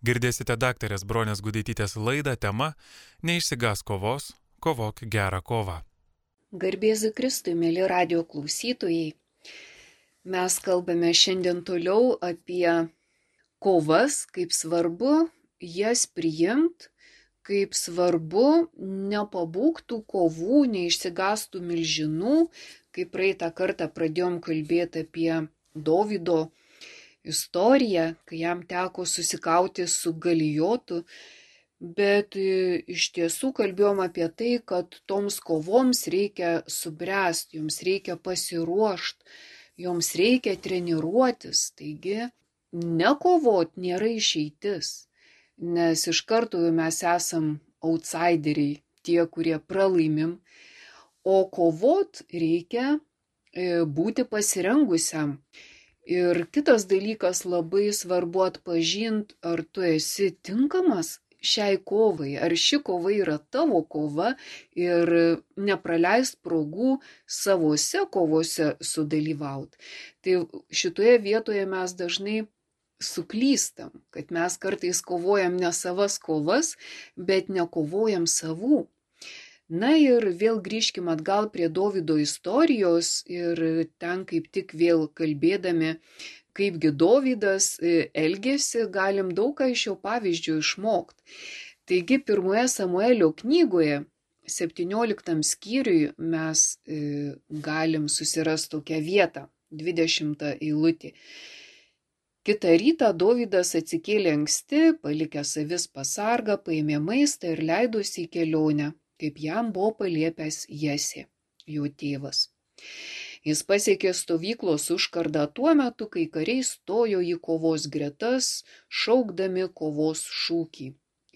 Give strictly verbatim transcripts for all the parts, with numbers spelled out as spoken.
Girdėsite daktarės Bronės Gudaitytės laidą tema Neišsigąsk kovos, kovok gerą kovą. Garbėzu Kristui, mėly radio klausytojai. Mes kalbame šiandien toliau apie kovas, kaip svarbu jas priimti, kaip svarbu nepabūgtų kovų, neišsigąstų milžinų, kaip praeitą kartą pradėjom kalbėti apie Dovydo istoriją, kai jam teko susikauti su Galijotu, bet iš tiesų kalbėjom apie tai, kad toms kovoms reikia subręsti, joms reikia pasiruošti, joms reikia treniruotis, taigi nekovot nėra išeitis, nes iš karto mes esam outsideriai, tie, kurie pralaimim, o kovot reikia būti pasirengusiam. Ir kitas dalykas, labai svarbu atpažinti, ar tu esi tinkamas šiai kovai, ar ši kova yra tavo kova ir nepraleist progų savose kovose sudalyvauti. Tai šitoje vietoje mes dažnai suklystam, kad mes kartais kovojam ne savas kovas, bet nekovojam savų. Na ir vėl grįžkim atgal prie Dovydo istorijos ir ten kaip tik vėl kalbėdami, kaipgi Dovydas elgėsi, galim daug ką iš jo pavyzdžių išmokti. Taigi pirmoje Samuelio knygoje, septynioliktam skyriui, mes galim susirasti tokią vietą, dvidešimtą eilutį. Kitą rytą Dovydas atsikėlė anksti, palikęs avis pasargą, paėmė maistą ir leidosi į kelionę, kaip jam buvo paliepęs Jesė, jo tėvas. Jis pasiekė stovyklos užkardą tuo metu, kai kariai stojo į kovos gretas, šaukdami kovos šūkį.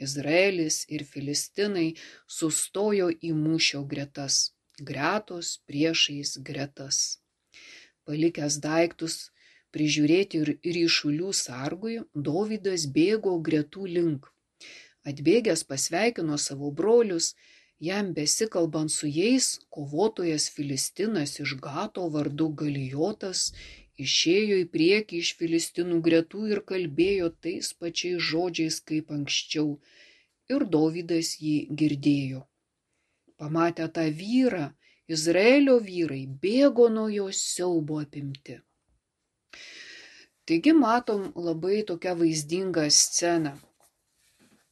Izraelis ir Filistinai sustojo į mūšio gretas, gretos priešais gretas. Palikęs daiktus prižiūrėti ir ryšulių sargui, Dovydas bėgo gretų link. Atbėgęs pasveikino savo brolius, jam besikalbant su jais, kovotojas Filistinas iš Gato vardu Galijotas išėjo į priekį iš Filistinų gretų ir kalbėjo tais pačiais žodžiais kaip anksčiau, ir Dovydas jį girdėjo. Pamatę tą vyrą, Izraelio vyrai bėgo nuo jo siaubo apimti. Taigi matom labai tokią vaizdingą sceną.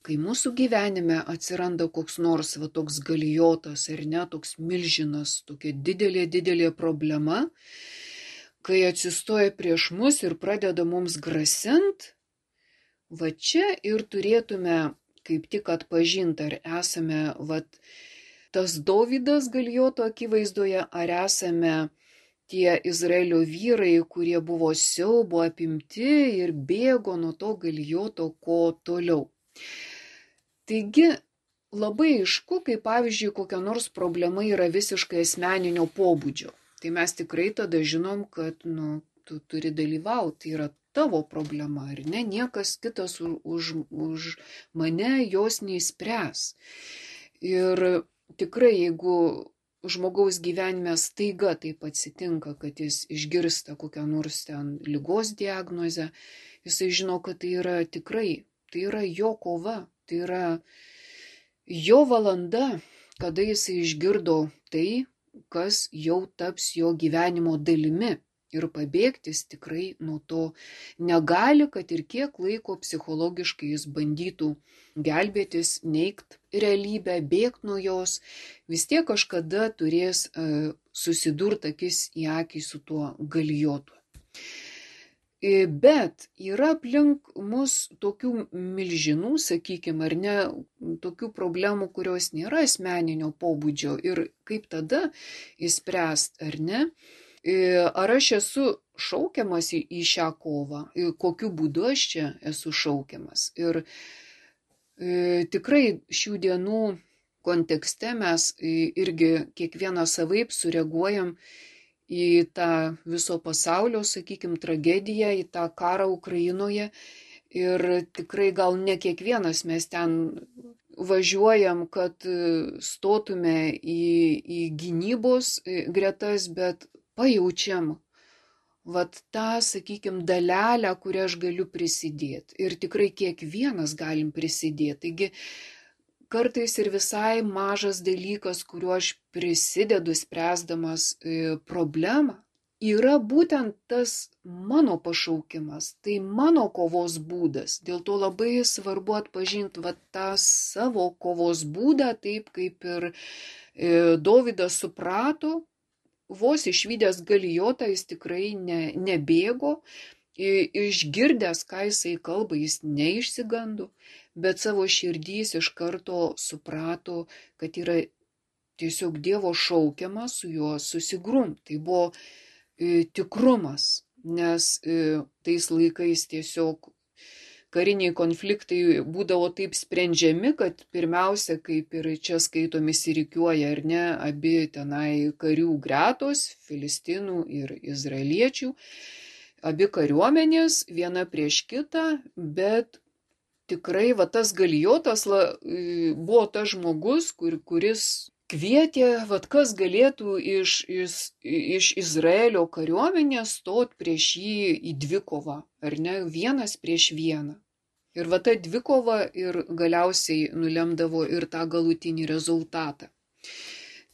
Kai mūsų gyvenime atsiranda koks nors va toks Galijotas ar ne, toks milžinas, tokia didelė, didelė problema, kai atsistoja prieš mus ir pradeda mums grasint, va čia ir turėtume kaip tik atpažinti, ar esame va tas Dovydas Galijoto akivaizdoje, ar esame tie Izraelio vyrai, kurie buvo siaubo apimti ir bėgo nuo to Galijoto ko toliau. Taigi labai aišku, kai pavyzdžiui kokia nors problema yra visiškai asmeninio pobūdžio. Tai mes tikrai tada žinom, kad nu, tu turi dalyvauti, tai yra tavo problema, ar ne? Niekas kitas už, už mane jos neįspręs. Ir tikrai, jeigu žmogaus gyvenime staiga taip atsitinka, kad jis išgirsta kokią nors ten ligos diagnozę, jisai žino, kad tai yra tikrai, tai yra jo kova. Tai yra jo valanda, kada jisai išgirdo tai, kas jau taps jo gyvenimo dalimi. Ir pabėgtis tikrai nuo to negali, kad ir kiek laiko psichologiškai jis bandytų gelbėtis, neigt realybę, bėgti nuo jos, vis tiek kažkada turės uh, susidurti akis į akį su tuo Galijotu. Bet yra aplink mus tokių milžinų, sakykime, ar ne, tokių problemų, kurios nėra asmeninio pobūdžio ir kaip tada įspręst, ar ne? Ar aš esu šaukiamas į, į šią kovą, kokiu būdu aš čia esu šaukiamas. Ir e, tikrai šių dienų kontekste mes irgi kiekvieną savaip sureaguojam į tą viso pasaulio, sakykime, tragediją, į tą karą Ukrainoje. Ir tikrai gal ne kiekvienas mes ten važiuojam, kad stotume į, į gynybos gretas, bet pajaučiam, vat tą, sakykime, dalelę, kurią aš galiu prisidėti. Ir tikrai kiekvienas galim prisidėti. Taigi kartais ir visai mažas dalykas, kuriuo aš prisidedu spręsdamas problemą, yra būtent tas mano pašaukimas, tai mano kovos būdas. Dėl to labai svarbu atpažinti va, tą savo kovos būdą, taip kaip ir Dovydas suprato, vos išvydęs Galijotą jis tikrai ne, nebėgo, išgirdęs, ką jisai kalba, jis neišsigando, bet savo širdys iš karto suprato, kad yra tiesiog Dievo šaukiamas su juo susigrumt. Tai buvo e, tikrumas, nes e, tais laikais tiesiog kariniai konfliktai būdavo taip sprendžiami, kad pirmiausia, kaip ir čia skaitomi įsirikiuoja, ar ne, abi tenai karių gretos, filistinų ir izraeliečių, abi kariuomenės, viena prieš kitą, bet tikrai va, tas Galijotas la, buvo tas žmogus, kur, kuris kvietė, va, kas galėtų iš, iš, iš Izraelio kariuomenės stot prieš jį į dvikovą, ar ne, vienas prieš vieną. Ir va ta dvikova ir galiausiai nulemdavo ir tą galutinį rezultatą.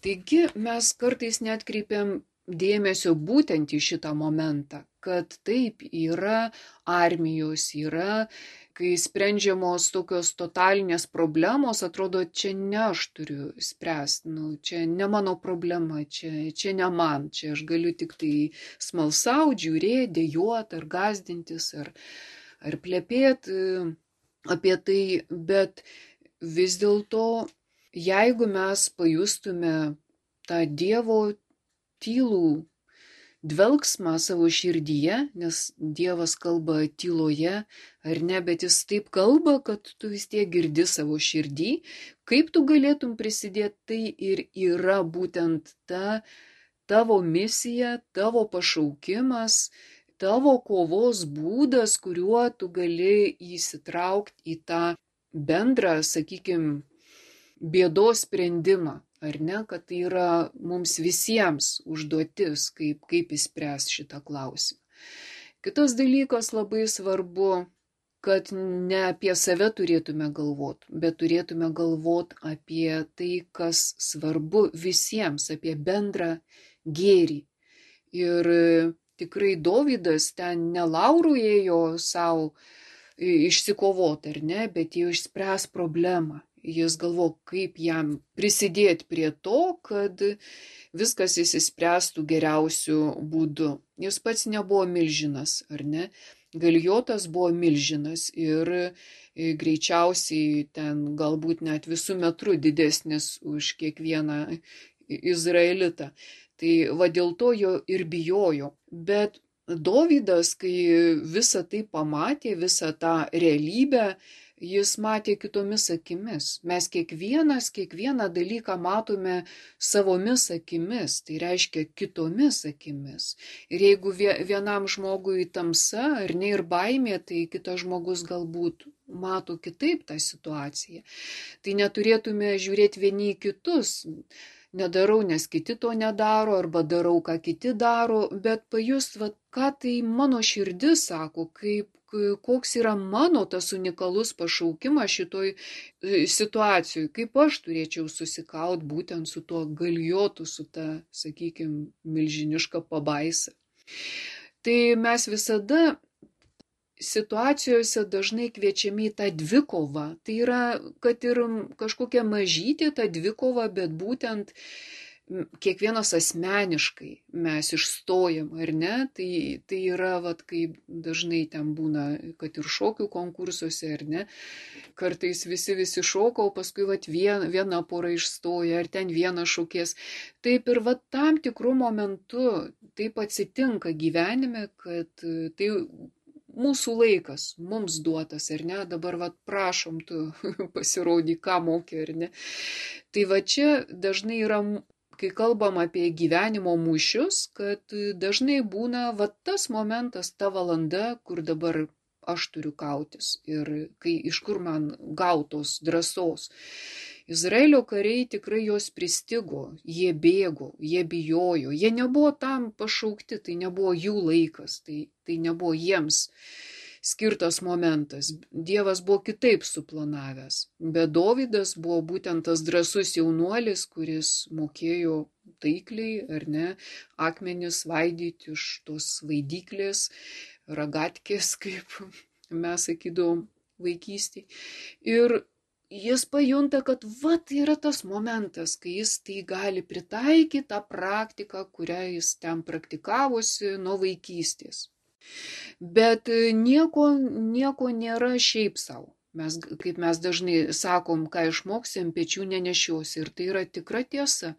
Taigi mes kartais netkreipiam dėmesio būtent į šitą momentą, kad taip yra armijos, yra, kai sprendžiamos tokios totalinės problemos, atrodo, čia ne aš turiu spręsti, nu, čia ne mano problema, čia, čia ne man, čia aš galiu tik tai smalsauti, žiūrėti, dejuoti ar gazdintis, ar ar plepėti apie tai, bet vis dėlto, jeigu mes pajustume tą Dievo tylų dvelgsmą savo širdyje, nes Dievas kalba tyloje, ar ne, bet jis taip kalba, kad tu vis tiek girdi savo širdį, kaip tu galėtum prisidėti, tai ir yra būtent ta tavo misija, tavo pašaukimas, tavo kovos būdas, kuriuo tu gali įsitraukti į tą bendrą, sakykime, bėdos sprendimą, ar ne, kad tai yra mums visiems užduotis, kaip, kaip įspręs šitą klausimą. Kitas dalykas labai svarbu, kad ne apie save turėtume galvoti, bet turėtume galvoti apie tai, kas svarbu visiems, apie bendrą gėrį. Ir tikrai Dovydas ten ne laurų ėjo savo išsikovoti, ar ne, bet jau išspręs problemą. Jis galvo, kaip jam prisidėti prie to, kad viskas įsispręstų geriausiu būdu. Jis pats nebuvo milžinas, ar ne? Galijotas buvo milžinas ir greičiausiai ten galbūt net visų metrų didesnis už kiekvieną izraelitą. Tai va dėl to jo ir bijojo. Bet Dovydas, kai visą tai pamatė, visą tą realybę, jis matė kitomis akimis. Mes kiekvienas, kiekvieną dalyką matome savomis akimis, tai reiškia kitomis akimis. Ir jeigu vienam žmogui tamsa ar ne ir baimė, tai kitas žmogus galbūt mato kitaip tą situaciją. Tai neturėtume žiūrėti vieni į kitus. Nedarau, nes kiti to nedaro, arba darau, ką kiti daro, bet pajust, va, ką tai mano širdis sako, kaip, koks yra mano tas unikalus pašaukimas šitoj situacijoje, kaip aš turėčiau susikaut būtent su tuo Galijotu, su ta, sakykime, milžiniška pabaisa. Tai mes visada situacijose dažnai kviečiami į tą dvikovą. Tai yra, kad ir kažkokia mažytė ta dvikova, bet būtent kiekvienas asmeniškai mes išstojam, ar ne? Tai, tai yra, vat, kaip dažnai ten būna, kad ir šokių konkursuose, ar ne? Kartais visi visi šoka, o paskui vat, vien, viena pora išstoja, ar ten vienas šokės. Taip ir vat, tam tikrų momentų taip atsitinka gyvenime, kad tai mūsų laikas, mums duotas, ar ne, dabar va prašom tu pasirodyk, ką moki, ar ne. Tai va čia dažnai yra, kai kalbam apie gyvenimo mūšius, kad dažnai būna va tas momentas, ta valanda, kur dabar aš turiu kautis ir kai iš kur man gautos drąsos. Izraelio kariai tikrai jos pristigo, jie bėgo, jie bijojo, jie nebuvo tam pašaukti, tai nebuvo jų laikas, tai, tai nebuvo jiems skirtas momentas. Dievas buvo kitaip suplanavęs, bet Dovydas buvo būtent tas drąsus jaunuolis, kuris mokėjo taikliai, ar ne, akmenis vaidyti iš tos vaidyklės, ragatkės, kaip mes sakydavom vaikystėje. Ir jis pajunta, kad va, tai yra tas momentas, kai jis tai gali pritaikyti tą praktiką, kurią jis ten praktikavosi nuo vaikystės. Bet nieko, nieko nėra šiaip savo. Mes, kaip mes dažnai sakom, ką išmoksim, pečių nenešiosi. Ir tai yra tikra tiesa.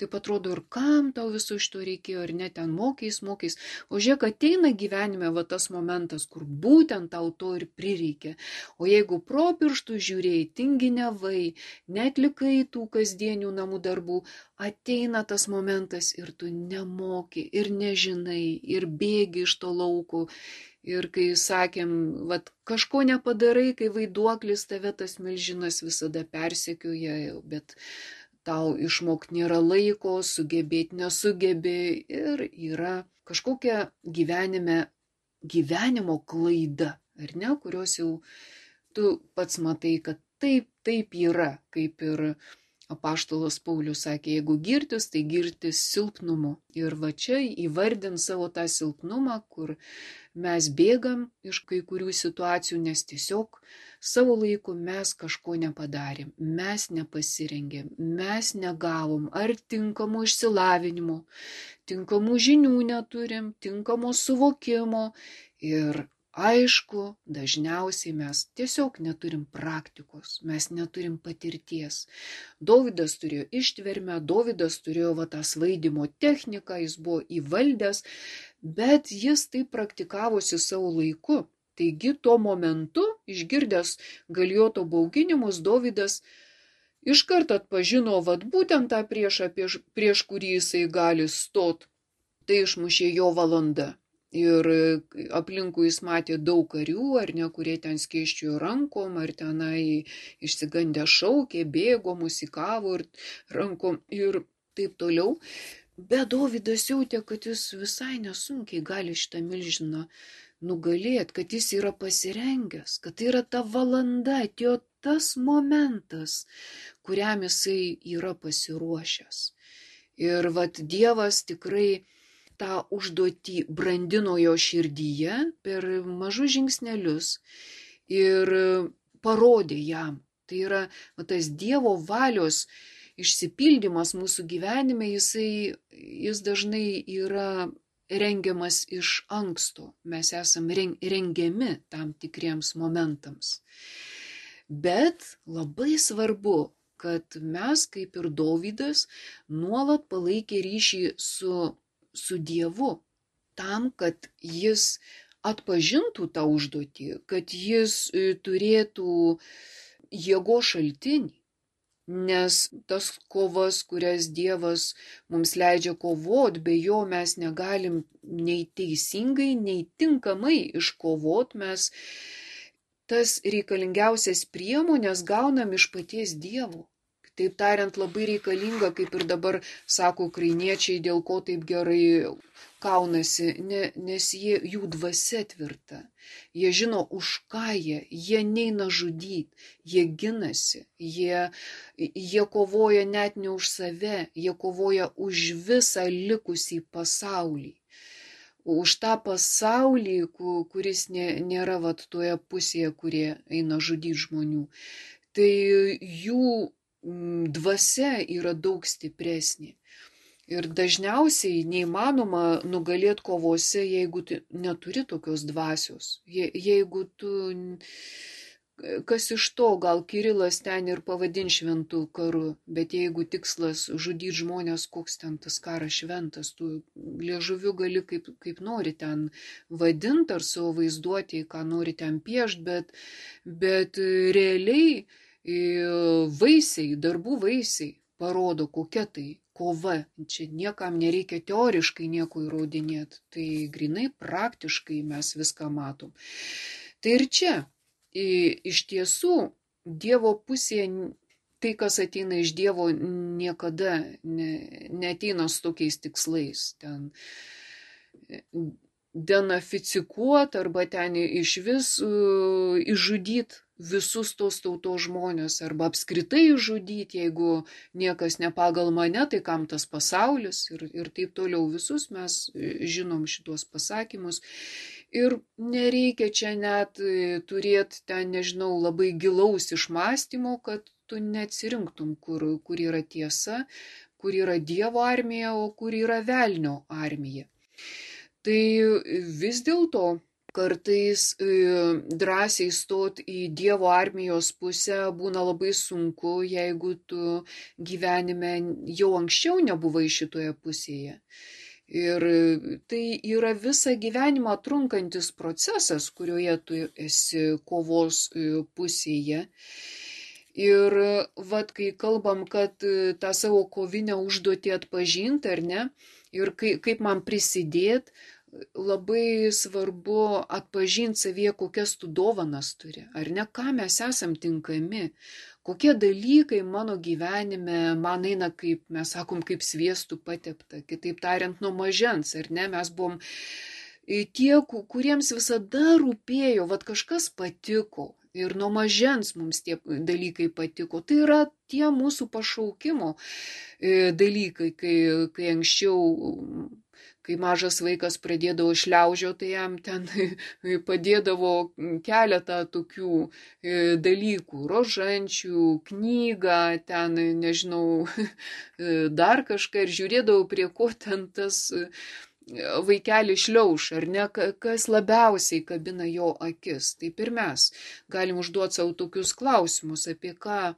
Taip atrodo, ir kam tau viso šito reikėjo, ir net ten mokiais, mokiais. O žiūrėk, ateina gyvenime va tas momentas, kur būtent tau to ir prireikia. O jeigu pro pirštų žiūrėjai, tinginiavai, netlikai tų kasdienių namų darbų, ateina tas momentas ir tu nemoki, ir nežinai, ir bėgi iš to lauko. Ir kai sakėm, vat, kažko nepadarai, kai vaiduoklis tave tas milžinas visada persekioja, bet tau išmok nėra laiko, sugebėti nesugebė ir yra kažkokia gyvenime, gyvenimo klaida, ar ne, kurios jau tu pats matai, kad taip, taip yra, kaip ir apaštalas Paulius sakė, jeigu girtis, tai girtis silpnumu. Ir va čia įvardint savo tą silpnumą, kur mes bėgam iš kai kurių situacijų, nes tiesiog savo laiku mes kažko nepadarėm, mes nepasirengėm, mes negavom ar tinkamo išsilavinimo, tinkamų žinių neturim, tinkamo suvokimo ir aišku, dažniausiai mes tiesiog neturim praktikos, mes neturim patirties. Dovydas turėjo ištvermę, Dovydas turėjo va tą svaidymo techniką, jis buvo įvaldęs, bet jis tai praktikavosi savo laiku. Taigi tuo momentu, išgirdęs Galijoto bauginimus, Dovydas iškart atpažino vat būtent tą priešą, prieš, prieš kurį jisai gali stot. Tai išmušė jo valanda. Ir aplinkui jis matė daug karių, ar ne, kurie ten skėsčiojo rankom, ar tenai išsigandę šaukė, bėgo, musikavo ir rankom ir taip toliau. Bet Dovydas jautė, kad jis visai nesunkiai gali šitą milžiną nugalėti, kad jis yra pasirengęs, kad tai yra ta valanda, atėjo tas momentas, kuriam jisai yra pasiruošęs. Ir vat Dievas tikrai tą užduotį brandino jo širdyje per mažus žingsnelius ir parodė jam. Tai yra va, tas Dievo valios išsipildymas mūsų gyvenime, jisai, jis dažnai yra rengiamas iš anksto. Mes esame rengiami tam tikriems momentams. Bet labai svarbu, kad mes, kaip ir Dovydas, nuolat palaikė ryšį su su Dievu, tam, kad jis atpažintų tą užduotį, kad jis turėtų jėgos šaltinį, nes tas kovas, kurias Dievas mums leidžia kovot, be jo mes negalim nei teisingai, nei tinkamai iškovot, mes tas reikalingiausias priemonės gaunam iš paties Dievo. Taip tariant, labai reikalinga, kaip ir dabar sako ukrainiečiai, dėl ko taip gerai kaunasi, ne, nes jie, jų dvasia tvirta. Jie žino, už ką jie, jie neina žudyti, jie ginasi, jie, jie kovoja net ne už save, jie kovoja už visą likusį pasaulį. Už tą pasaulį, kuris nė, nėra vat toje pusėje, kurie eina žudyti žmonių. Tai jų dvasia yra daug stipresnė. Ir dažniausiai neįmanoma nugalėti kovose, jeigu tu neturi tokios dvasios. Je, jeigu tu, kas iš to, gal Kirilas ten ir pavadin šventų karu, bet jeigu tikslas žudyti žmonės, koks ten tas karas šventas, tu liežuviu gali kaip, kaip nori ten vadinti ar savo vaizduoti, ką nori ten piešti, bet, bet realiai vaisiai, darbų vaisiai parodo, kokia tai kova. Čia niekam nereikia teoriškai nieko įrodinėti. Tai grinai praktiškai mes viską matom. Tai ir čia iš tiesų Dievo pusėje tai, kas ateina iš Dievo, niekada ne, neateina su tokiais tikslais. Ten denaficikuot arba ten iš vis uh, išžudyt visus tos tautos žmonės arba apskritai išžudyti, jeigu niekas ne pagal mane, tai kam tas pasaulis ir, ir taip toliau. Visus mes žinom šitos pasakymus. Ir nereikia čia net turėti ten, nežinau, labai gilaus išmąstymo, kad tu neatsirinktum, kur, kur yra tiesa, kur yra Dievo armija, o kur yra velnio armija. Tai vis dėlto kartais drąsiai stot į Dievo armijos pusę būna labai sunku, jeigu tu gyvenime jau anksčiau nebuvai šitoje pusėje. Ir tai yra visą gyvenimą trunkantis procesas, kurioje tu esi kovos pusėje. Ir vat, kai kalbam, kad tą savo kovinę užduotį atpažinti, ar ne, ir kai, kaip man prisidėti, labai svarbu atpažinti savyje, kokias tu dovanas turi, ar ne, ką mes esam tinkami, kokie dalykai mano gyvenime man eina, kaip mes sakom, kaip sviestų patepta, kitaip tariant, nuo mažens, ar ne, mes buvom tie, kuriems visada rūpėjo, vat kažkas patiko. Ir nuo mažens mums tie dalykai patiko. Tai yra tie mūsų pašaukimo dalykai, kai, kai anksčiau, kai mažas vaikas pradėdavo šliaužio, tai jam ten padėdavo keletą tokių dalykų, rožančių, knygą, ten, nežinau, dar kažką ir žiūrėdavo, prie ko ten tas vaikelį šliauš, ar ne, kas labiausiai kabina jo akis. Taip ir mes galim užduoti savo tokius klausimus, apie ką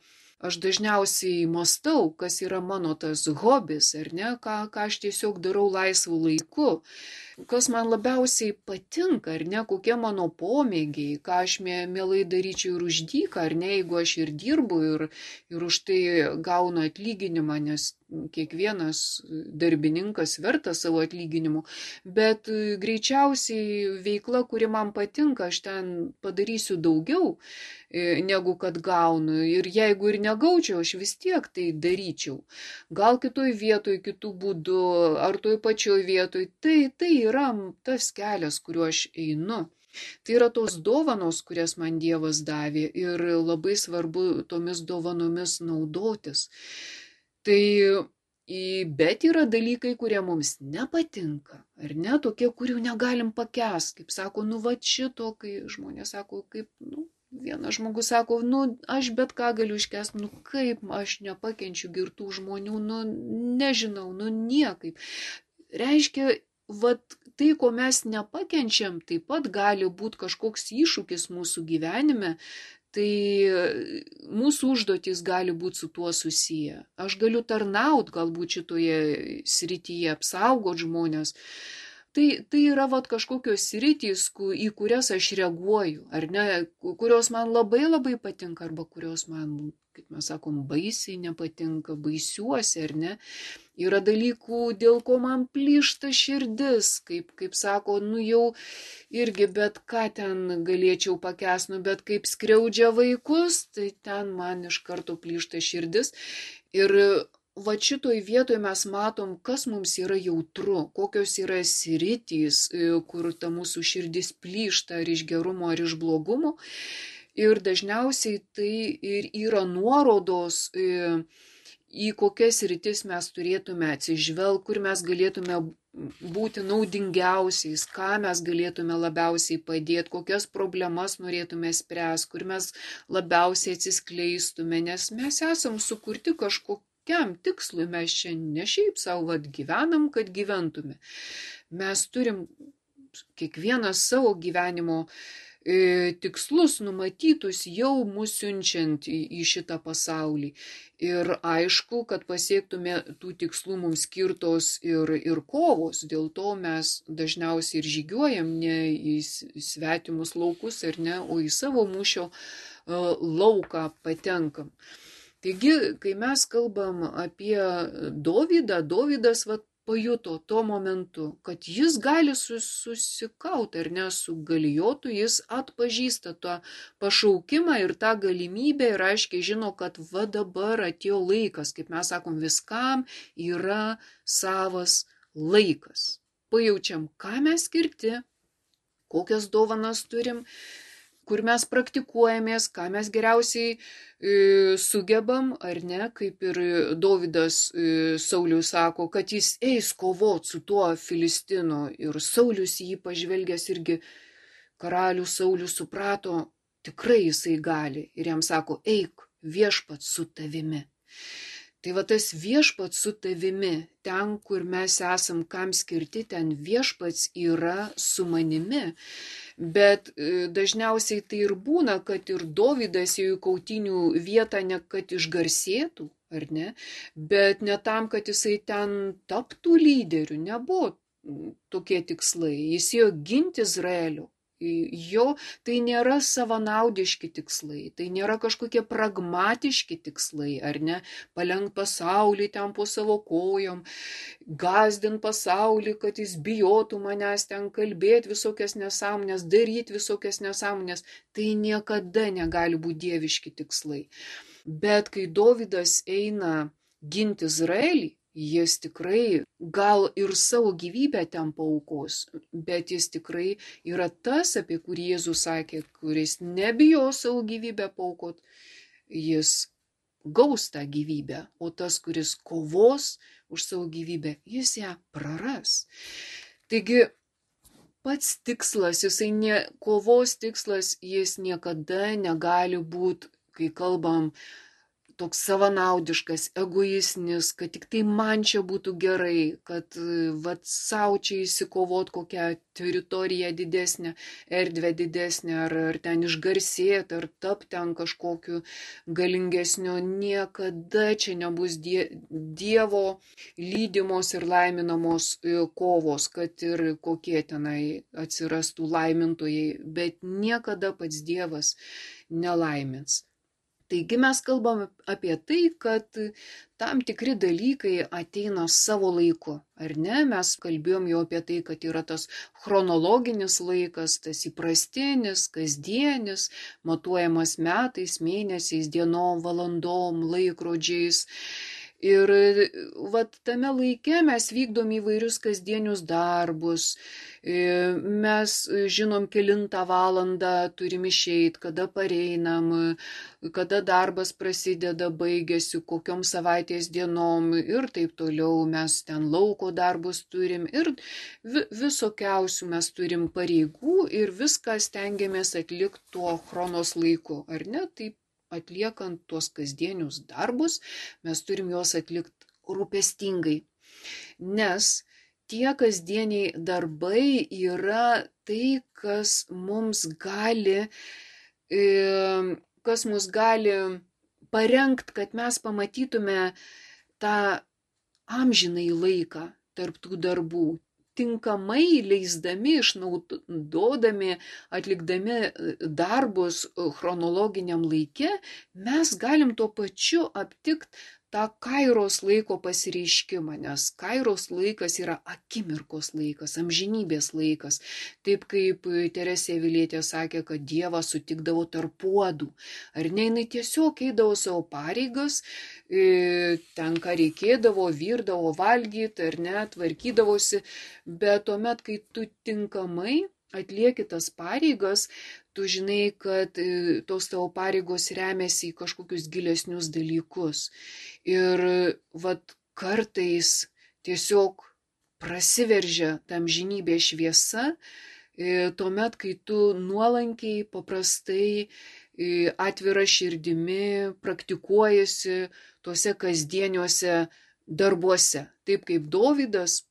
aš dažniausiai mąstau, kas yra mano tas hobis, ar ne, ką, ką aš tiesiog darau laisvu laiku, kas man labiausiai patinka, ar ne, kokie mano pomėgiai, ką aš mielai daryčiau ir už dyką, ar ne, jeigu aš ir dirbu ir, ir už tai gaunu atlyginimą, nes kiekvienas darbininkas vertas savo atlyginimu, bet greičiausiai veikla, kuri man patinka, aš ten padarysiu daugiau negu kad gaunu. Ir jeigu ir negaučiau, aš vis tiek tai daryčiau. Gal kitoj vietoj, kitų būdų, ar toj pačioj vietoj. Tai, tai yra tas kelias, kuriuo aš einu. Tai yra tos dovanos, kurias man Dievas davė ir labai svarbu tomis dovanomis naudotis. Tai, bet yra dalykai, kurie mums nepatinka, ar ne, tokie, kurių negalim pakęsti, kaip sako, nu va šito, kai žmonės sako, kaip, nu, vienas žmogus sako, nu, aš bet ką galiu iškęsti, nu, kaip aš nepakenčiu girtų žmonių, nu, nežinau, nu, niekaip. Reiškia, vat tai, ko mes nepakenčiam, taip pat gali būti kažkoks iššūkis mūsų gyvenime, tai mūsų užduotis gali būti su tuo susiję. Aš galiu tarnaut galbūt šitoje srityje, apsaugot žmonės. Tai, tai yra vat, kažkokios sritys, į kurias aš reaguoju, ar ne, kurios man labai labai patinka, arba kurios man, kaip mes sakom, baisiai nepatinka, baisiuosi, ar ne. Yra dalykų, dėl ko man plyšta širdis, kaip, kaip sako, nu jau irgi bet ką ten galėčiau pakęsti, nu bet kaip skriaudžia vaikus, tai ten man iš karto plyšta širdis. Ir va šitoj vietoje mes matom, kas mums yra jautru, kokios yra sritys, kur ta mūsų širdis plyšta ar iš gerumo, ar iš blogumo. Ir dažniausiai tai ir yra nuorodos, į kokias sritis mes turėtume atsižvelgti, kur mes galėtume būti naudingiausiais, ką mes galėtume labiausiai padėti, kokias problemas norėtume spręsti, kur mes labiausiai atsiskleistume, nes mes esam sukurti kažkokiam tikslui, mes čia ne šiaip savo vat, gyvenam, kad gyventume. Mes turim kiekvienas savo gyvenimo tikslus numatytus jau mus siunčiant į, į šitą pasaulį. Ir aišku, kad pasiektume tų tikslų mums skirtos ir, ir kovos, dėl to mes dažniausiai ir žygiuojam ne į svetimus laukus, ar ne, o į savo mūšio lauką patenkam. Taigi, kai mes kalbam apie Dovydą, Dovydas va, pajuto tuo momentu, kad jis gali susikauti ar ne su Galijotu, jis atpažįsta tą pašaukimą ir tą galimybę ir aiškiai žino, kad va dabar atėjo laikas, kaip mes sakom, viskam yra savas laikas. Pajaučiam, ką mes skirti, kokias dovanas turim, kur mes praktikuojamės, ką mes geriausiai e, sugebam, ar ne, kaip ir Dovydas e, Sauliui sako, kad jis eis kovot su tuo Filistinu ir Saulius jį pažvelgęs irgi karalius Saulius suprato, tikrai jisai gali ir jam sako, eik, viešpats su tavimi. Tai va tas viešpats su tavimi, ten, kur mes esam, kam skirti, ten viešpats yra su manimi. Bet dažniausiai tai ir būna, kad ir Dovydas ėjo į kautynių vietą ne kad išgarsėtų, ar ne, bet ne tam, kad jisai ten taptų lyderiu, nebuvo tokie tikslai. Jis ėjo ginti Izraelio. Jo tai nėra savanaudiški tikslai, tai nėra kažkokie pragmatiški tikslai, ar ne, palenkt pasaulį ten po savo kojom, gazdint pasaulį, kad jis bijotų manęs ten kalbėti visokias nesąmonės, daryti visokias nesąmonės, tai niekada negali būti dieviški tikslai. Bet kai Dovydas eina ginti Izraelį, jis tikrai gal ir savo gyvybę ten paaukos, bet jis tikrai yra tas, apie kurį Jėzus sakė, kuris nebijo savo gyvybę paaukot, jis gaus tą gyvybę, o tas, kuris kovos už savo gyvybę, jis ją praras. Taigi, pats tikslas, jisai ne, kovos tikslas, jis niekada negali būti, kai kalbam, toks savanaudiškas, egoistinis, kad tik tai man čia būtų gerai, kad vat savo čia įsikovot kokią teritoriją didesnę, erdvę didesnę, ar, ar ten išgarsėti, ar tapti ten kažkokiu galingesniu, niekada čia nebus die, Dievo lydimos ir laiminamos kovos, kad ir kokie tenai atsirastų laimintojai, bet niekada pats Dievas nelaimins. Taigi mes kalbam apie tai, kad tam tikri dalykai ateina savo laiku, ar ne? Mes kalbėjom jau apie tai, kad yra tas chronologinis laikas, tas įprastinis, kasdienis, matuojamas metais, mėnesiais, dienom, valandom, laikrodžiais. Ir vat tame laike mes vykdom įvairius kasdienius darbus, mes žinom kelintą valandą turim išeit, kada pareinam, kada darbas prasideda, baigėsi, kokiom savaitės dienom ir taip toliau, mes ten lauko darbus turim ir visokiausių mes turim pareigų ir viską stengiamės atlikti tuo chronos laiku, ar ne? Taip atliekant tuos kasdienius darbus, mes turim juos atlikti rūpestingai, nes tie kasdieniai darbai yra tai, kas mums gali, kas mus gali parengti, kad mes pamatytume tą amžinąjį laiką tarp tų darbų. Tinkamai leisdami, išnaudodami, atlikdami darbus chronologiniam laike, mes galim tuo pačiu aptikti tą kairos laiko pasireiškimą, nes kairos laikas yra akimirkos laikas, amžinybės laikas. Taip kaip Teresė Avilietė sakė, kad Dievas sutikdavo tarp puodų. Ar ne, jinai tiesiog eidavo savo pareigas, ten ką reikėdavo, virdavo valgyti, ar ne, tvarkydavosi, bet tuomet, kai tu tinkamai atlieki tas pareigas, tu žinai, kad tos tavo pareigos remiasi į kažkokius gilesnius dalykus. Ir vat kartais tiesiog prasiveržia tam amžinybės šviesa, tuomet, kai tu nuolankiai, paprastai, atvira širdimi praktikuojasi tuose kasdieniuose darbuose. Taip kaip Dovydas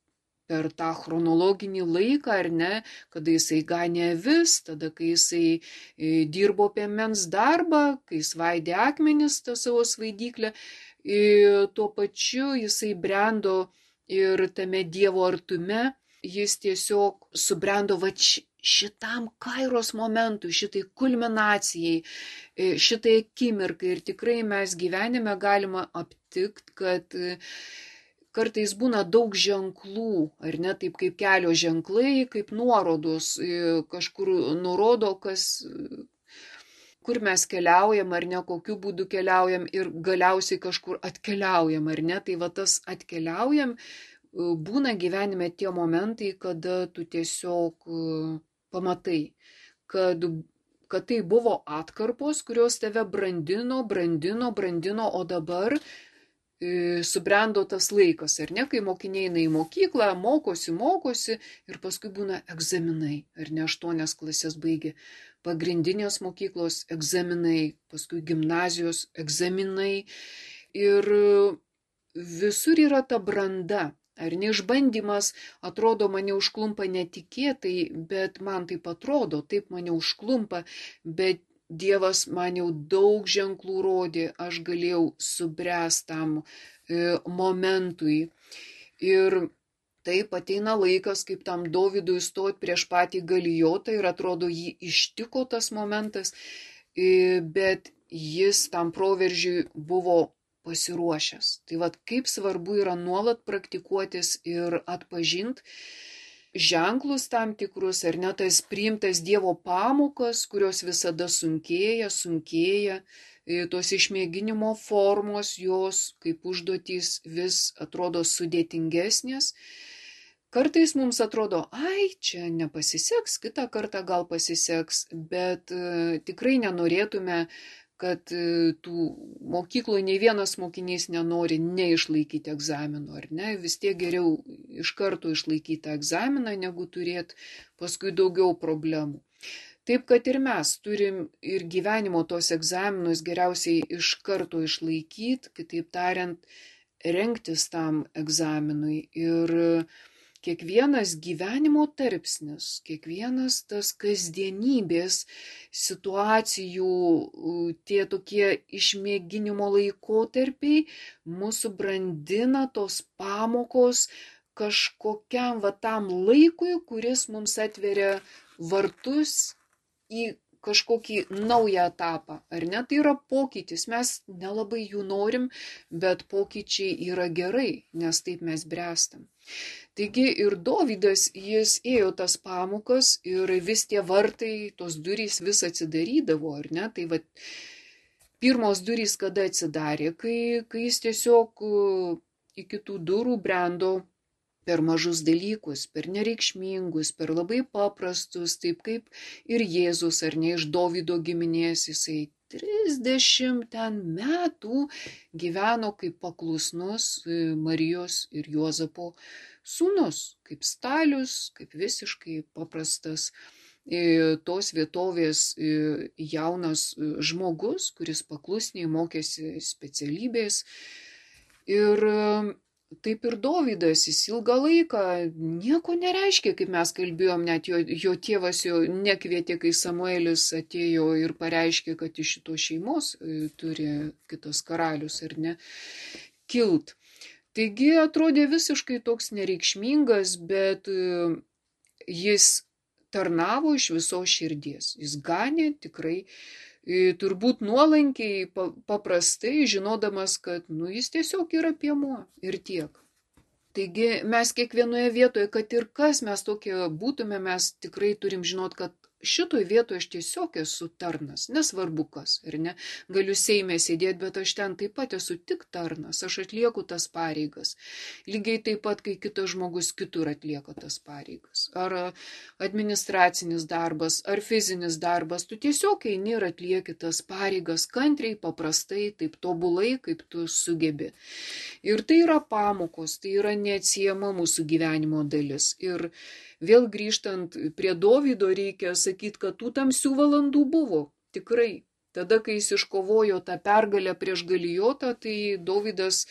per tą chronologinį laiką, ar ne, kada jisai ganė avis, tada kai jisai dirbo piemens darbą, kai svaidė akmenis tą savo svaidyklę, tuo pačiu jisai brendo ir tame Dievo artume, jis tiesiog subrendo va šitam kairos momentui, šitai kulminacijai, šitai akimirkai. Ir tikrai mes gyvenime galima aptikti, kad kartais būna daug ženklų, ar ne, taip kaip kelio ženklai, kaip nuorodos, kažkur nurodo, kas, kur mes keliaujam, ar ne, kokiu būdu keliaujam ir galiausiai kažkur atkeliaujam, ar ne, tai va tas atkeliaujam, būna gyvenime tie momentai, kada tu tiesiog pamatai, kad, kad tai buvo atkarpos, kurios tave brandino, brandino, brandino, o dabar subrendo tas laikas, ar ne, kai mokiniai eina į mokyklą, mokosi, mokosi ir paskui būna egzaminai, ar ne, aštuonias klasės baigė, pagrindinės mokyklos egzaminai, paskui gimnazijos egzaminai ir visur yra ta branda, ar ne, išbandymas, atrodo, mane užklumpa netikėtai, bet man taip atrodo, taip mane užklumpa, bet Dievas man jau daug ženklų rodė, aš galėjau subręsti tam e, momentui. Ir taip ateina laikas, kaip tam Dovydui stoti prieš patį Galijotą ir atrodo, jį ištiko tas momentas, e, bet jis tam proveržiui buvo pasiruošęs. Tai vad, kaip svarbu yra nuolat praktikuotis ir atpažinti ženklus tam tikrus, ar ne, tas priimtas Dievo pamokas, kurios visada sunkėja, sunkėja, tos išmėginimo formos, jos kaip užduotys vis atrodo sudėtingesnės. Kartais mums atrodo, ai, čia nepasiseks, kitą kartą gal pasiseks, bet e, tikrai nenorėtume, kad tų mokykloje nei vienas mokinys nenori neišlaikyti egzamino, ar ne, vis tiek geriau iš karto išlaikyti egzaminą, negu turėti paskui daugiau problemų. Taip, kad ir mes turim ir gyvenimo tos egzaminus geriausiai iš karto išlaikyti, kitaip tariant, rengtis tam egzaminui ir kiekvienas gyvenimo tarpsnis, kiekvienas tas kasdienybės situacijų, tie tokie išmėginimo laikotarpiai mūsų brandina tos pamokos kažkokiam va tam laikui, kuris mums atveria vartus į kažkokį naują etapą, ar ne? Tai yra pokytis, mes nelabai jų norim, bet pokyčiai yra gerai, nes taip mes bręstam. Taigi ir Dovydas, jis ėjo tas pamokas ir vis tie vartai, tos durys vis atsidarydavo, ar ne? Tai va, pirmos durys kada atsidarė, kai, kai jis tiesiog iki tų durų brendo per mažus dalykus, per nereikšmingus, per labai paprastus, taip kaip ir Jėzus, ar ne, iš Dovydo giminės, jisai trisdešimt ten metų gyveno kaip paklusnus Marijos ir Juozapo sūnus, kaip stalius, kaip visiškai paprastas tos vietovės jaunas žmogus, kuris paklusniai mokėsi specialybės. Ir taip ir Dovydas, jis ilgą laiką nieko nereiškia, kaip mes kalbėjom, net jo, jo tėvas jo nekvietė, kai Samuelis atėjo ir pareiškė, kad iš šitos šeimos turi kitas karalius, ar ne, kilt. Taigi atrodė visiškai toks nereikšmingas, bet jis tarnavo iš visos širdies. Jis ganė tikrai, turbūt nuolankiai, paprastai, žinodamas, kad nu, jis tiesiog yra piemuo ir tiek. Taigi mes kiekvienoje vietoje, kad ir kas mes tokie būtume, mes tikrai turim žinot, kad šitoj vietoje aš tiesiog esu tarnas, nesvarbu kas, ar ne, galiu Seime sėdėti, bet aš ten taip pat esu tik tarnas, aš atlieku tas pareigas, lygiai taip pat, kai kitas žmogus kitur atlieka tas pareigas, ar administracinis darbas, ar fizinis darbas, tu tiesiog eini ir atlieki tas pareigas kantriai, paprastai, taip tobulai, kaip tu sugebi. Ir tai yra pamokos, tai yra neatsiejama mūsų gyvenimo dalis. Ir vėl grįžtant prie Dovydo, reikia sakyti, kad tų tamsių valandų buvo, tikrai. Tada, kai jis iškovojo tą pergalę prieš Galijotą, tai Dovydas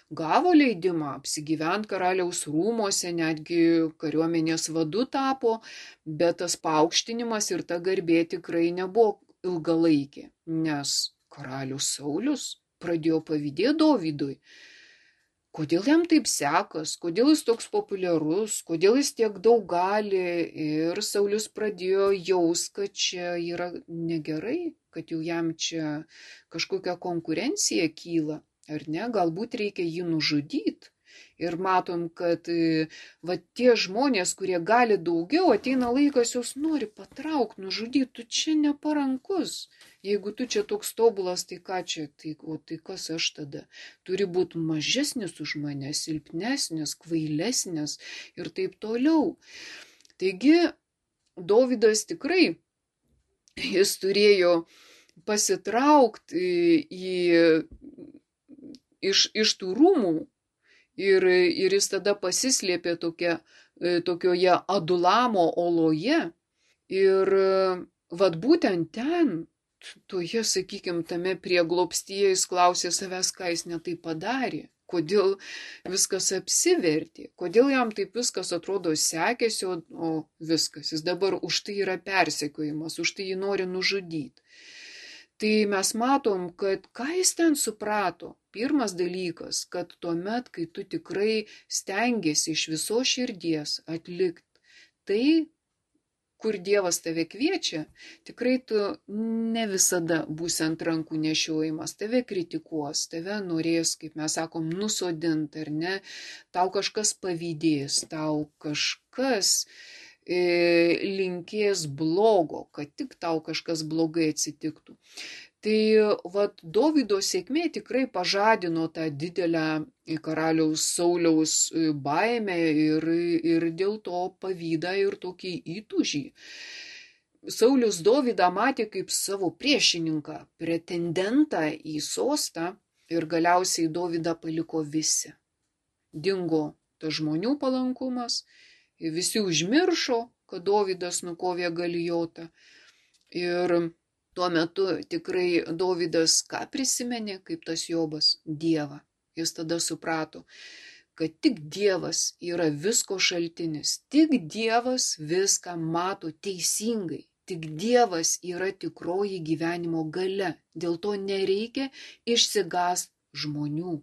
gavo leidimą apsigyventi karaliaus rūmose, netgi kariuomenės vadu tapo, bet tas paaukštinimas ir ta garbė tikrai nebuvo ilgalaikė, nes karalius Saulius pradėjo pavydėti Dovydui. Kodėl jam taip sekas, kodėl jis toks populiarus, kodėl jis tiek daug gali, ir Saulius pradėjo jaus, kad čia yra negerai, kad jau jam čia kažkokia konkurencija kyla, ar ne, galbūt reikia jį nužudyti. Ir matom, kad va, tie žmonės, kurie gali daugiau, ateina laikas, jos nori patraukti, nužudyti, tu čia neparankus. Jeigu tu čia toks tobulas, tai ką čia, tai, o tai kas aš tada? Turi būti mažesnis už mane, silpnesnis, kvailesnis ir taip toliau. Taigi, Dovydas tikrai, jis turėjo pasitraukti į, iš, iš tų rūmų ir, ir jis tada pasislėpė tokia, tokioje Adulamo oloje ir vad būtent ten, toje, sakykime, tame prieglobstyje jis klausė savęs, ką jis netai padarė, kodėl viskas apsivertė, kodėl jam taip viskas atrodo sekėsi, o, o viskas, jis dabar už tai yra persekiojimas, už tai jį nori nužudyti. Tai mes matom, kad ką jis ten suprato. Pirmas dalykas, kad tuomet, kai tu tikrai stengiasi iš viso širdies atlikti tai, kur Dievas tave kviečia, tikrai tu ne visada būsi ant rankų nešiojimas, tave kritikuos, tave norės, kaip mes sakom, nusodinti, ar ne, tau kažkas pavydės, tau kažkas e, linkės blogo, kad tik tau kažkas blogai atsitiktų. Tai vat, Dovydo sėkmė tikrai pažadino tą didelę karaliaus Sauliaus baimę ir, ir dėl to pavydą ir tokį įtūžį. Saulius Dovydą matė kaip savo priešininką, pretendentą į sostą ir galiausiai Dovydą paliko visi. Dingo tas žmonių palankumas, visi užmiršo, kad Dovydas nukovė Galijotą ir tuo metu tikrai Dovydas ką prisimenė, kaip tas Jobas? Dievą. Jis tada suprato, kad tik Dievas yra visko šaltinis, tik Dievas viską mato teisingai, tik Dievas yra tikroji gyvenimo galia, dėl to nereikia išsigąsti žmonių.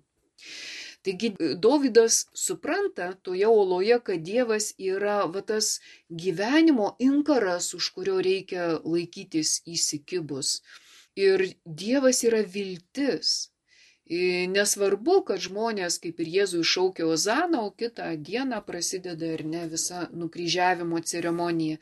Taigi Dovydas supranta toje oloje, kad Dievas yra va, tas gyvenimo inkaras, už kurio reikia laikytis įsikibus. Ir Dievas yra viltis. Nesvarbu, kad žmonės kaip ir Jėzui šaukė Ozaną, o kitą dieną prasideda ir ne visa nukryžiavimo ceremonija.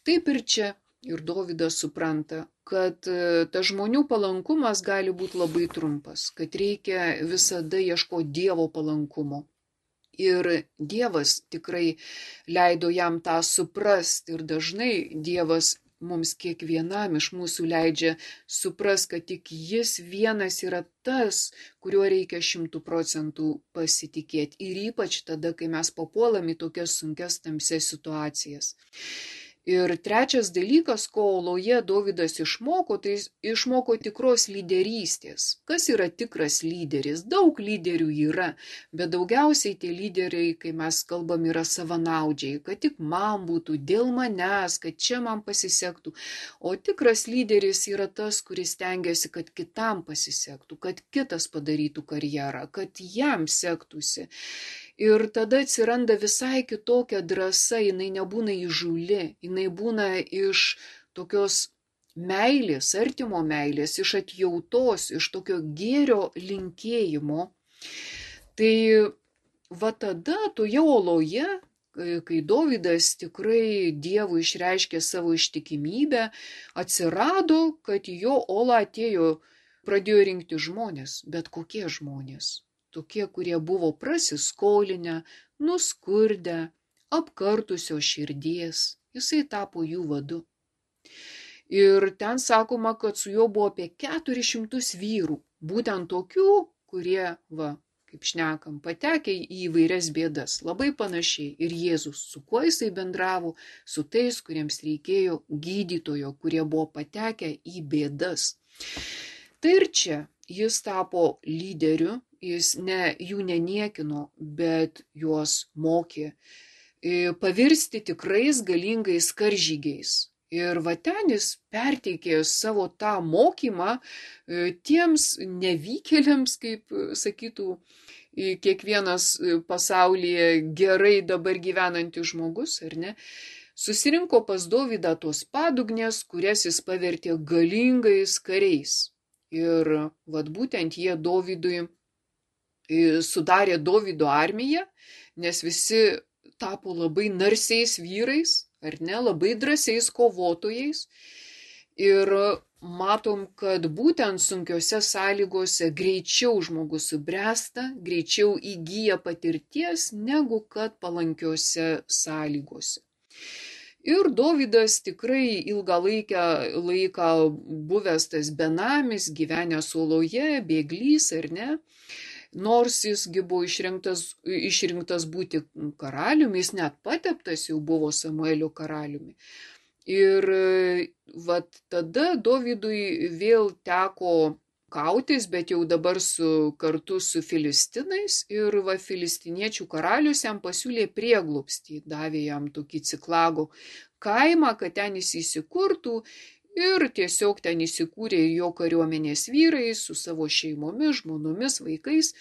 Taip ir čia. Ir Dovydas supranta, kad tas žmonių palankumas gali būti labai trumpas, kad reikia visada ieškoti Dievo palankumo. Ir Dievas tikrai leido jam tą suprasti ir dažnai Dievas mums kiekvienam iš mūsų leidžia suprast, kad tik jis vienas yra tas, kuriuo reikia šimtų procentų pasitikėti. Ir ypač tada, kai mes papuolam į tokias sunkias tamsias situacijas. Ir trečias dalykas, ko oloje Dovydas išmoko, tai išmoko tikros lyderystės. Kas yra tikras lyderis? Daug lyderių yra, bet daugiausiai tie lyderiai, kai mes kalbam, yra savanaudžiai, kad tik man būtų, dėl manęs, kad čia man pasisektų. O tikras lyderis yra tas, kuris stengiasi, kad kitam pasisektų, kad kitas padarytų karjerą, kad jam sektųsi. Ir tada atsiranda visai kitokia drąsa, jinai nebūna įžūli, jinai būna iš tokios meilės, artimo meilės, iš atjautos, iš tokio gėrio linkėjimo. Tai va tada toje oloje, kai Dovydas tikrai Dievui išreiškė savo ištikimybę, atsirado, kad į jo olą atėjo, pradėjo rinkti žmonės, bet kokie žmonės. Tokie, kurie buvo prasiskolinę, nuskurdę, apkartusio širdies. Jisai tapo jų vadu. Ir ten sakoma, kad su juo buvo apie keturis šimtus vyrų. Būtent tokių, kurie, va, kaip šnekam, patekę į įvairias bėdas. Labai panašiai. Ir Jėzus, su kuo jisai bendravo, su tais, kuriems reikėjo gydytojo, kurie buvo patekę į bėdas. Tai ir čia jis tapo lyderiu. Jis ne, jų neniekino, bet juos mokė pavirsti tikrais galingais karžygiais. Ir va ten jis perteikė savo tą mokymą tiems nevykėliams, kaip sakytų kiekvienas pasaulyje gerai dabar gyvenantis žmogus, ar ne? Susirinko pas Dovydą tos padugnės, kurias jis pavertė galingais kariais. Ir vat būtent jie Dovydui sudarė Dovydo armiją, nes visi tapo labai narsiais vyrais, ar ne, labai drąsiais kovotojais. Ir matom, kad būtent sunkiose sąlygose greičiau žmogus subręsta, greičiau įgyja patirties, negu kad palankiose sąlygose. Ir Dovydas tikrai ilgą laiką, laiką buvęs tas benamis, gyvenęs oloje, bėglys, ar ne, nors jisgi buvo išrinktas, išrinktas būti karaliumi, jis net pateptas jau buvo Samuelio karaliumi. Ir vat tada Dovydui vėl teko kautis, bet jau dabar su, kartu su filistinais, ir va, filistiniečių karalius jam pasiūlė prieglobstį, davė jam tokį Ciklago kaimą, kad ten jis įsikurtų, ir tiesiog ten įsikūrė jo kariuomenės vyrai su savo šeimomis, žmonomis, vaikais.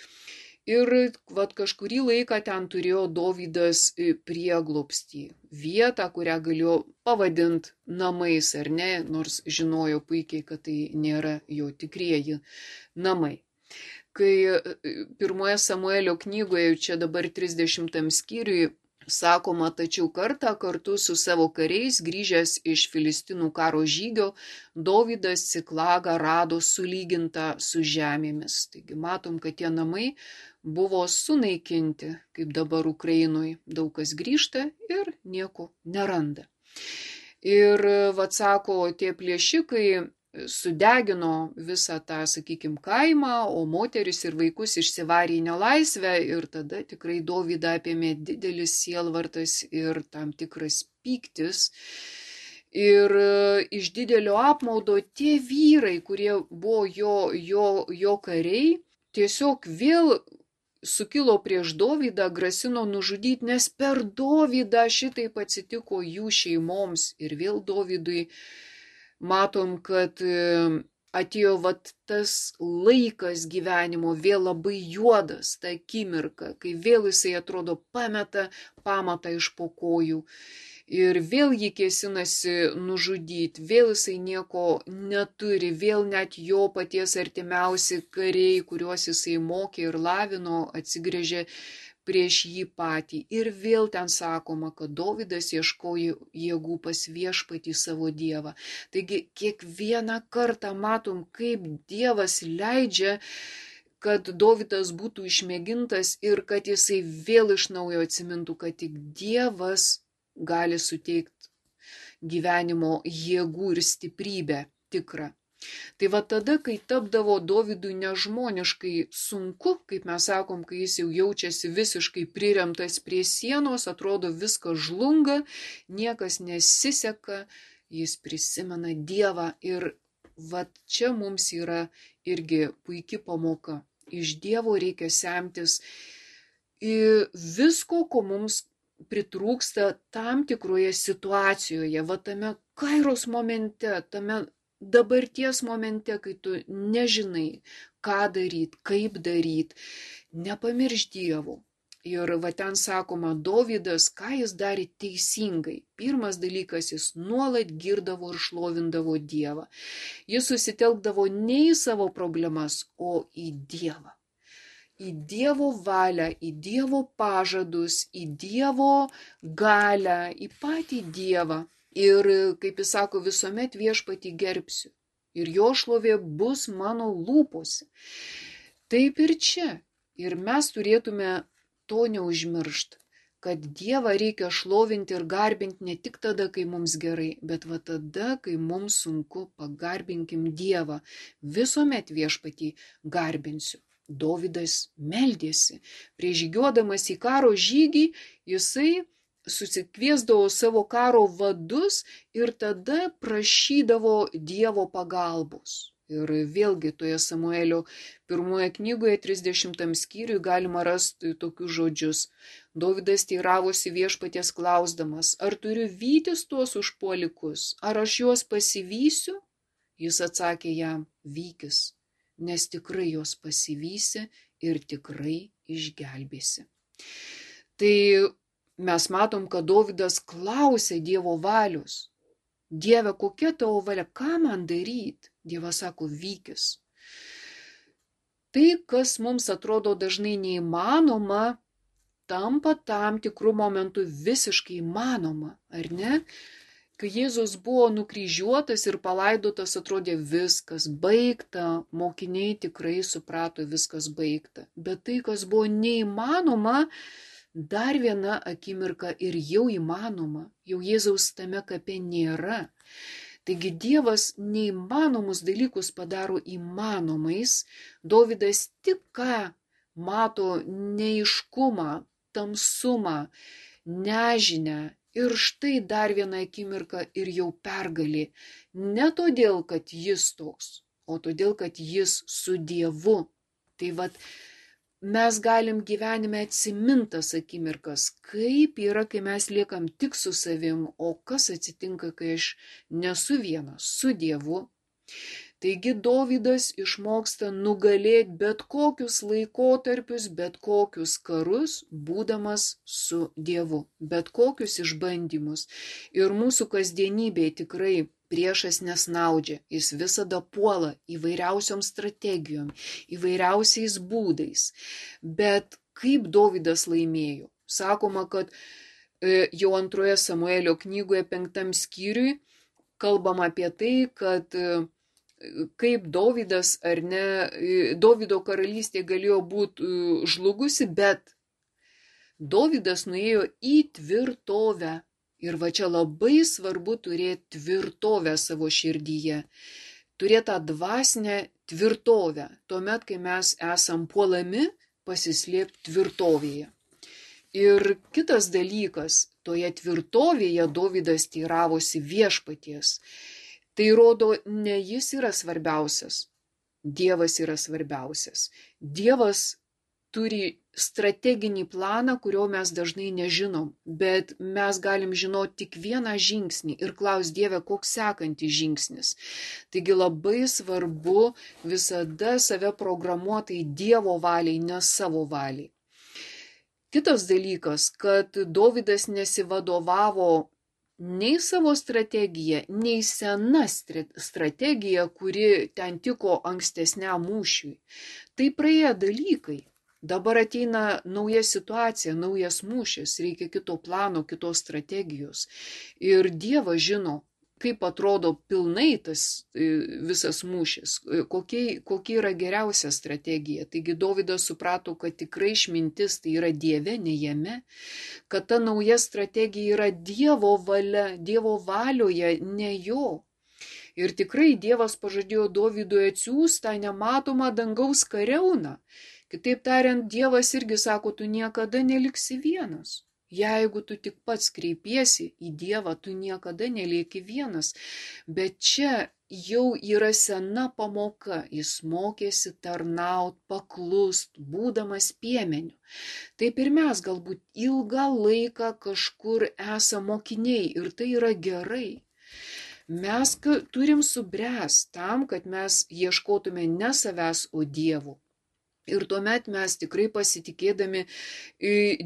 Ir vat, kažkurį laiką ten turėjo Dovydas prieglobstį, vietą, kurią galėjo pavadinti namais, ar ne, nors žinojo puikiai, kad tai nėra jo tikrieji namai. Kai pirmoje Samuelio knygoje, čia dabar trisdešimtam skyriui, sakoma, tačiau kartą kartu su savo kariais grįžęs iš Filistinų karo žygio, Dovydas Ciklagą rado sulygintą su žemėmis. Taigi matom, kad tie namai buvo sunaikinti, kaip dabar Ukrainoje. Daug kas grįžta ir nieko neranda. Ir, vat sako, tie plėšikai sudegino visą tą, sakykime, kaimą, o moteris ir vaikus išsivarė į nelaisvę, ir tada tikrai Dovydą apėmė didelis sielvartas ir tam tikras pyktis. Ir iš didelio apmaudo tie vyrai, kurie buvo jo, jo, jo kariai, tiesiog vėl sukilo prieš Dovydą, grasino nužudyti, nes per Dovydą šitaip atsitiko jų šeimoms. Ir vėl Dovydui matom, kad atėjo vat tas laikas gyvenimo, vėl labai juodas, ta akimirka, kai vėl jisai atrodo pameta pamatą iš po kojų. Ir vėl jį kėsinasi nužudyti, vėl jisai nieko neturi, vėl net jo paties artimiausi kariai, kuriuos jisai mokė ir lavino, atsigrėžė prieš jį patį. Ir vėl ten sakoma, kad Dovydas ieškojo jėgų pas viešpatį savo Dievą. Taigi kiekvieną kartą matom, kaip Dievas leidžia, kad Dovydas būtų išmėgintas ir kad jisai vėl iš naujo atsimintų, kad tik Dievas gali suteikti gyvenimo jėgų ir stiprybę tikrą. Tai va tada, kai tapdavo Dovydui nežmoniškai sunku, kaip mes sakom, kai jis jau jaučiasi visiškai priremtas prie sienos, atrodo viskas žlunga, niekas nesiseka, jis prisimena Dievą. Ir va čia mums yra irgi puiki pamoka. Iš Dievo reikia semtis visko, ko mums pritrūksta tam tikroje situacijoje, va tame kairos momente, tame dabarties momente, kai tu nežinai, ką daryti, kaip daryti, nepamiršk Dievo. Ir va ten sakoma, Dovydas, ką jis darė teisingai. Pirmas dalykas, jis nuolat girdavo ir šlovindavo Dievą. Jis susitelkdavo ne į savo problemas, o į Dievą. Į Dievo valią, į Dievo pažadus, į Dievo galią, į patį Dievą. Ir, kaip jis sako, visuomet viešpatį gerbsiu. Ir jo šlovė bus mano lūpose. Taip ir čia. Ir mes turėtume to neužmiršti, kad Dievą reikia šlovinti ir garbinti ne tik tada, kai mums gerai, bet va tada, kai mums sunku, pagarbinkim Dievą. Visuomet viešpatį garbinsiu. Dovydas meldėsi. Prieš žygiuodamas į karo žygį, jisai susikviesdavo savo karo vadus ir tada prašydavo Dievo pagalbos. Ir vėlgi toje Samuelio pirmoje knygoje, trisdešimtam skyriui, galima rasti tokius žodžius. Dovydas teiravosi viešpaties klausdamas, ar turiu vytis tuos užpuolikus, ar aš juos pasivysiu? Jis atsakė jam, vykis, nes tikrai juos pasivysi ir tikrai išgelbėsi. Tai mes matom, kad Dovydas klausė Dievo valios. Dieve, kokia tavo valia, ką man daryti? Dievas sako, vykis. tai, kas mums atrodo dažnai neįmanoma, tampa tam tikrų momentų visiškai įmanoma, ar ne? Kai Jėzus buvo nukryžiuotas ir palaidotas, atrodė viskas baigta, mokiniai tikrai suprato viskas baigta. Bet tai, kas buvo neįmanoma, dar viena akimirka ir jau įmanoma, jau Jėzaus tame kape nėra. Taigi Dievas neįmanomus dalykus padaro įmanomais. Dovydas tik ką mato neaiškumą, tamsumą, nežinę. Ir štai dar viena akimirka ir jau pergalė. Ne todėl, kad jis toks, o todėl, kad jis su Dievu. Tai vat, mes galim gyvenime atsimintas akimirkas, kaip yra, kai mes liekam tik su savim, o kas atsitinka, kai aš nesu vienas, su Dievu. Taigi Dovydas išmoksta nugalėti bet kokius laikotarpius, bet kokius karus, būdamas su Dievu, bet kokius išbandymus. Ir mūsų kasdienybėje tikrai priešas nesnaudžia, jis visada puola įvairiausiom strategijom, įvairiausiais būdais. Bet kaip Dovydas laimėjo? Sakoma, kad jau antroje Samuelio knygoje penktam skyriui kalbama apie tai, kad kaip Dovydas ar ne, Dovydo karalystė galėjo būti žlugusi, bet Dovydas nuėjo į tvirtovę. Ir va čia labai svarbu turėti tvirtovę savo širdyje, turėti tą dvasinę tvirtovę, tuomet, kai mes esam puolami, pasislėpti tvirtovėje. Ir kitas dalykas, toje tvirtovėje Dovydas teiravosi viešpaties. Tai rodo, ne jis yra svarbiausias, Dievas yra svarbiausias. Dievas turi strateginį planą, kurio mes dažnai nežinom, bet mes galim žinoti tik vieną žingsnį ir klaus Dieve, koks sekantis žingsnis. Taigi labai svarbu visada save programuoti Dievo valiai, ne savo valiai. Kitas dalykas, kad Dovydas nesivadovavo nei savo strategija, nei sena strategija, kuri ten tiko ankstesniam mūšiui. Tai praėję dalykai. Dabar ateina nauja situacija, naujas mūšis, reikia kito plano, kitos strategijos. Ir Dievas žino, kaip atrodo pilnai tas visas mūšis, kokia, kokia yra geriausia strategija. Taigi Dovydas suprato, kad tikrai išmintis tai yra Dieve, ne jame, kad ta nauja strategija yra Dievo valia, Dievo valioje, ne jo. Ir tikrai Dievas pažadėjo Dovydui atsiųsti tą nematomą dangaus kariauną. Kitaip tariant, Dievas irgi sako, tu niekada neliksi vienas. Jeigu tu tik pats kreipiesi į Dievą, tu niekada nelieki vienas. Bet čia jau yra sena pamoka. Jis mokėsi tarnaut, paklust, būdamas piemeniu. Taip ir mes galbūt ilgą laiką kažkur esame mokiniai ir tai yra gerai. Mes turim subręsti tam, kad mes ieškotume ne savęs, o Dievo. Ir tuomet mes tikrai pasitikėdami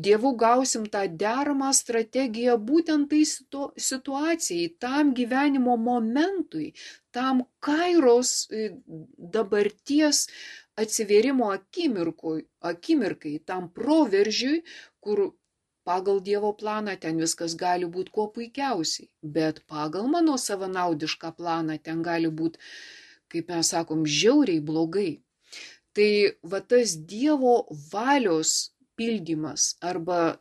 Dievu gausim tą deramą strategiją būtent tai situacijai, tam gyvenimo momentui, tam kairos dabarties atsivėrimo akimirkai, tam proveržiui, kur pagal Dievo planą ten viskas gali būti kuo puikiausiai, bet pagal mano savanaudišką planą ten gali būti, kaip mes sakom, žiauriai blogai. Tai va tas Dievo valios pildymas arba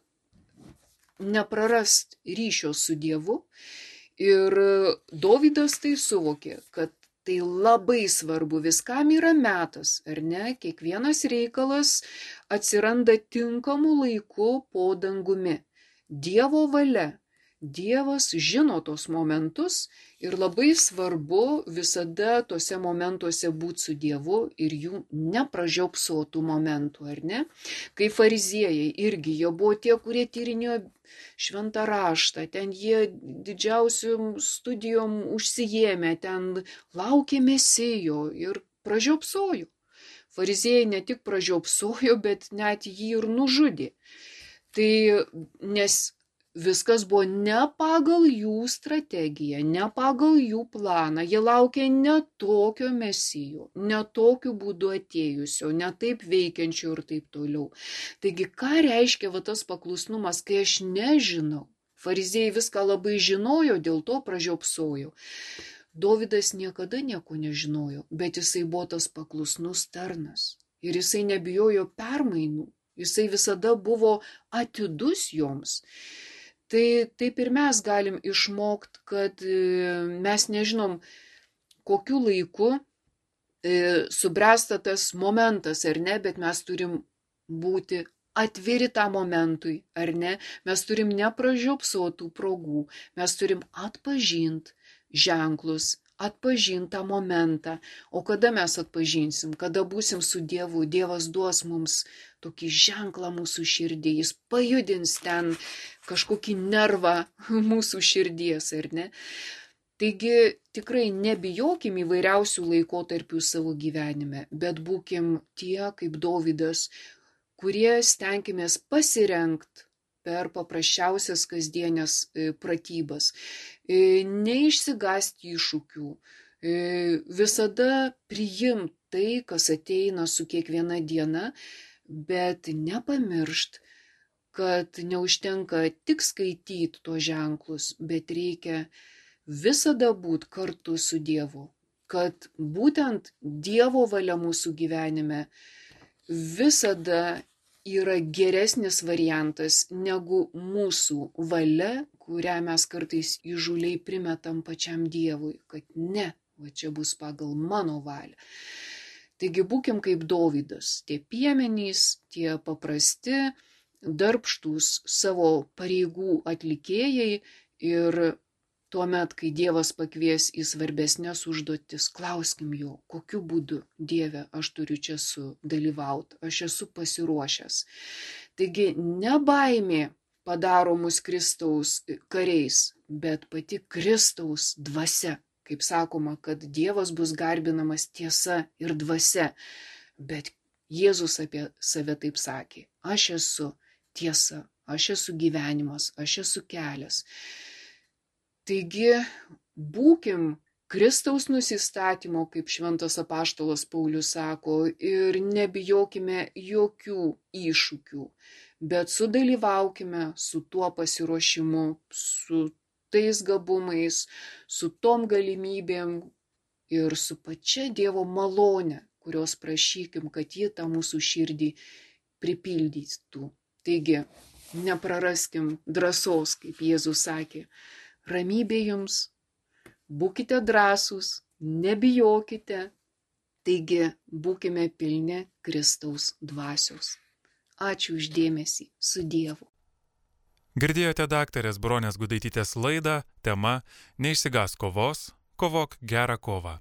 neprarast ryšio su Dievu. Ir Dovydas tai suvokė, kad tai labai svarbu, viskam yra metas, ar ne? Kiekvienas reikalas atsiranda tinkamu laiku po dangumi. Dievo valia. Dievas žino tos momentus ir labai svarbu visada tose momentuose būti su Dievu ir jų nepražiopsotų momentų, ar ne? Kai fariziejai irgi, jie buvo tie, kurie tyrinėjo šventą raštą, ten jie didžiausiom studijom užsijėmė, ten laukė Mesijo ir pražiopsojo. Fariziejai ne tik pražiopsojo, bet net jį ir nužudė. Tai nes viskas buvo ne pagal jų strategiją, ne pagal jų planą. Jie laukė ne tokio mesijo, ne tokiu būdu atėjusio, ne taip veikiančio ir taip toliau. Taigi, ką reiškia va tas paklusnumas, kai aš nežinau? Fariziejai viską labai žinojo, dėl to pražiopsojo. Dovydas niekada nieko nežinojo, bet jisai buvo tas paklusnus tarnas. Ir jisai nebijojo permainų. Jisai visada buvo atidus joms. Tai taip ir mes galim išmokti, kad mes nežinom, kokiu laiku subręsta tas momentas, ar ne, bet mes turim būti atviri tą momentui, ar ne. Mes turim nepražiopsotų progų, mes turim atpažinti ženklus, atpažinti tą momentą. O kada mes atpažinsim, kada būsim su Dievu, Dievas duos mums tokį ženklą mūsų širdį, jis pajudins ten kažkokį nervą mūsų širdies, ar ne? Taigi tikrai nebijokim įvairiausių laikotarpių savo gyvenime, bet būkim tie, kaip Dovydas, kurie stenkimės pasirengti per paprasčiausias kasdienės pratybas, neišsigąsti iššūkių, visada priimti tai, kas ateina su kiekviena diena, bet nepamiršt, kad neužtenka tik skaityti tuos ženklus, bet reikia visada būti kartu su Dievu, kad būtent Dievo valia mūsų gyvenime visada yra geresnis variantas negu mūsų valia, kurią mes kartais įžūliai primetam pačiam Dievui, kad ne, va čia bus pagal mano valią. Taigi būkim kaip Dovydas, tie piemenys, tie paprasti, darbštūs savo pareigų atlikėjai ir tuomet, kai Dievas pakvies į svarbesnės užduotis, klauskim jo, kokiu būdu, Dieve, aš turiu čia sudalyvauti, aš esu pasiruošęs. Taigi ne baimė padaro mus Kristaus kariais, bet pati Kristaus dvasia. Kaip sakoma, kad Dievas bus garbinamas tiesa ir dvasia, bet Jėzus apie save taip sakė, aš esu tiesa, aš esu gyvenimas, aš esu kelias. Taigi, būkim Kristaus nusistatymo, kaip šventas apaštalas Paulius sako, ir nebijokime jokių iššūkių, bet sudalyvaukime su tuo pasiruošimu, su tais gabumais, su tom galimybėm ir su pačia Dievo malone, kurios prašykim, kad ji tą mūsų širdį pripildytų. Taigi, nepraraskim drąsos, kaip Jėzus sakė, ramybė jums, būkite drąsūs, nebijokite, taigi būkime pilni Kristaus dvasios. Ačiū už dėmesį, su Dievu. Girdėjote daktarės Bronės Gudaitytės laidą, tema Neišsigąsk kovos, kovok gerą kovą.